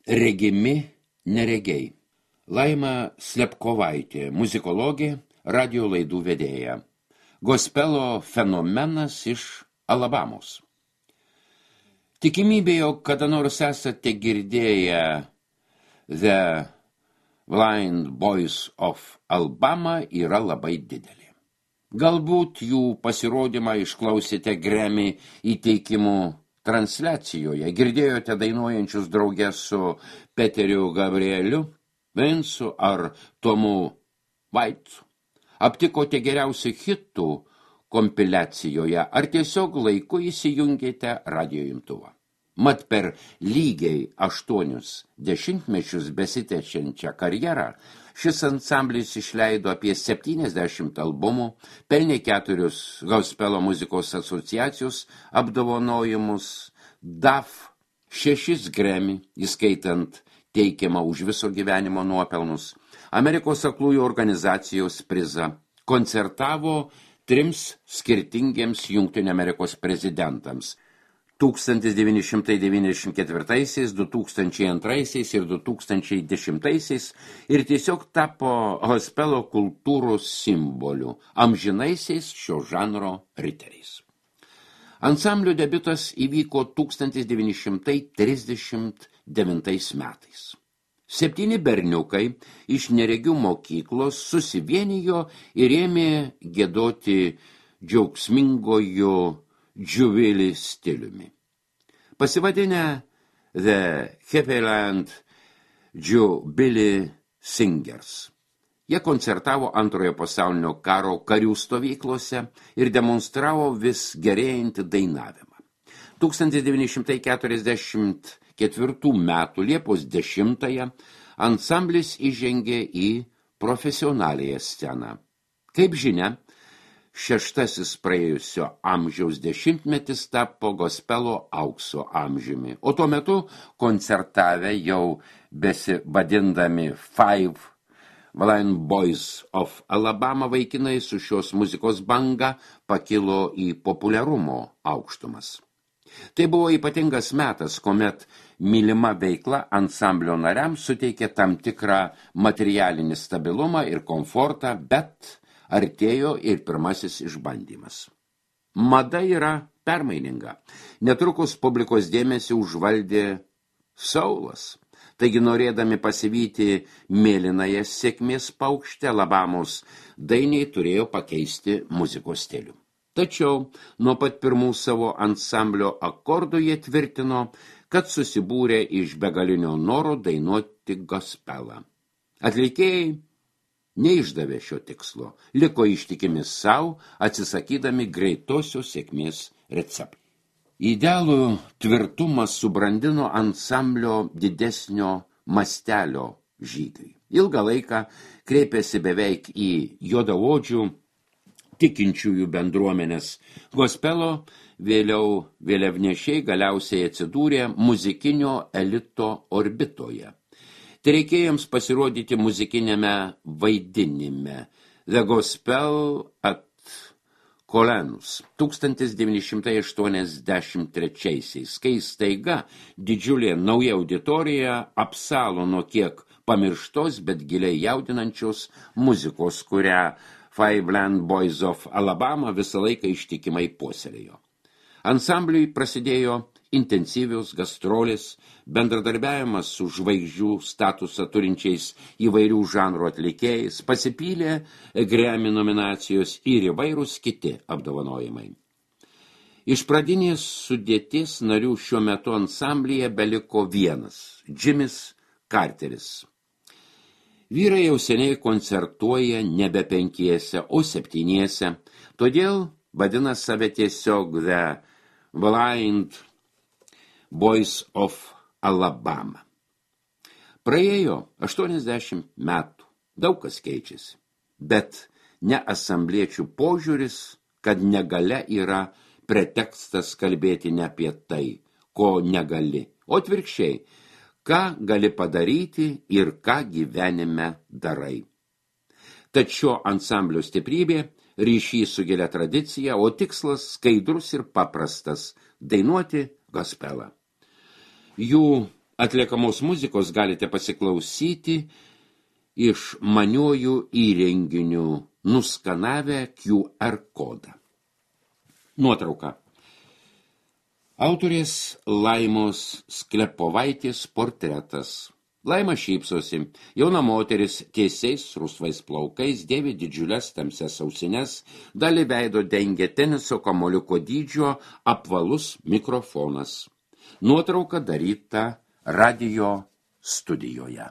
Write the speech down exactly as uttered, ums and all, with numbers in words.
Regimi neregiai. Laima Slepkovaitė, muzikologė, radio laidų vedėja. Gospelo fenomenas iš Alabamos. Tikimybė, jog kada nors esate girdėję The Blind Boys of Alabama yra labai didelė. Galbūt jų pasirodymą išklausėte Grammy įteikimų transliacijoje, girdėjote dainuojančius drauge su Peteriu Gabrieliu, Vincu ar Tomu Vaitu, aptikote geriausių hitų kompiliacijoje ar tiesiog laiku įsijungėte radio imtuvą. Mat per lygiai aštuonius dešimtmečius besitęsiančią karjerą šis ansamblis išleido apie septyniasdešimt albumų, pelnė keturius Gospelo muzikos asociacijos apdovanojimus, D A F šešis Grammy, įskaitant teikiamą už viso gyvenimo nuopelnus, Amerikos aklųjų organizacijos prizą, koncertavo trims skirtingiems Jungtinių Amerikos prezidentams tūkstantis devyni šimtai devyniasdešimt ketvirtaisiais, du tūkstančiai antraisiais ir du tūkstančiai dešimtaisiais ir tiesiog tapo gospelo kultūros simboliu, amžinaisiais šio žanro riteriais. Ansamblio debiutas įvyko tūkstantis devyni šimtai trisdešimt devintais metais. Septyni berniukai iš neregių mokyklos susivienijo ir ėmė giedoti džiaugsmingojo Jubilee stiliumi. Pasivadinę The Happyland Jubilee Singers. Jie koncertavo antrojo pasaulinio karo karių stovyklose ir demonstravo vis gerėjantį dainavimą. tūkstantis devyni šimtai keturiasdešimt ketvirtų metų Liepos dešimtąją ansamblis įžengė į profesionaliąją sceną. Kaip žinia, šeštasis praėjusio amžiaus dešimtmetis tapo gospelo aukso amžiumi, o tuo metu koncertavę jau besivadindami Five Blind Boys of Alabama vaikinai su šios muzikos banga pakilo į populiarumo aukštumas. Tai buvo ypatingas metas, kuomet mylima veikla ansamblio nariams suteikė tam tikrą materialinį stabilumą ir komfortą, bet artėjo ir pirmasis išbandymas. Mada yra permaininga. Netrukus publikos dėmesį užvaldė saulas. Taigi norėdami pasivyti mėlynąją sėkmės paukštę, Alabamos dainiai turėjo pakeisti muzikos stilių. Tačiau nuo pat pirmų savo ansamblio akordų jie tvirtino, kad susibūrė iš begalinio noro dainuoti gospelą. Atlikėjai neišdavė šio tikslo, liko ištikimi savo, atsisakydami greitosios sėkmės receptų. Idealų tvirtumą subrandino ansamblio didesnio mastelio žygiui. Ilgą laiką kreipėsi beveik į juodaodžių tikinčiųjų bendruomenės. Gospelo vėliau vėliavnešiai galiausiai atsidūrė muzikinio elito orbitoje. Tai reikėjo jiems pasirodyti muzikinėme vaidinime The Gospel at Colenus tūkstantis devyni šimtai aštuoniasdešimt trečiaisiais, kai staiga didžiulė nauja auditorija apsalo nuo kiek pamirštos, bet giliai jaudinančios muzikos, kurią Five Blind Boys of Alabama visą laiką ištikimai puoselėjo. Ansambliui prasidėjo intensyvios gastrolės, bendradarbiavimas su žvaigždžių statusą turinčiais įvairių žanrų atlikėjais, pasipylė Grammy nominacijos ir įvairūs kiti apdovanojimai. Iš pradinės sudėties narių šiuo metu ansamblyje beliko vienas – Jimis Carteris. Vyrai jau seniai koncertuoja nebe penkiese, o septyniese, todėl vadina save tiesiog The Blind Boys of Alabama. Praėjo aštuoniasdešimt metų, daug kas keičiasi, bet ne asambliečių požiūris, kad negalia yra pretekstas kalbėti ne apie tai, ko negali, o atvirkščiai, ką gali padaryti ir ką gyvenime darai. Tačiau ansamblio stiprybė, ryšys su gilia tradicija, o tikslas skaidrus ir paprastas – dainuoti gospelą. Jų Atliekamos muzikos galite pasiklausyti iš maniojų įrenginių nuskanavę Q R kodą. Nuotrauka. Autorės Laimos Sklepovaitės portretas. Laima šypsosi. Jauna moteris tiesiais rusvais plaukais dėvi didžiulės tamsias ausines, dalį veido dengia teniso kamuoliuko dydžio apvalus mikrofonas. Nuotrauka daryta radio studijoje.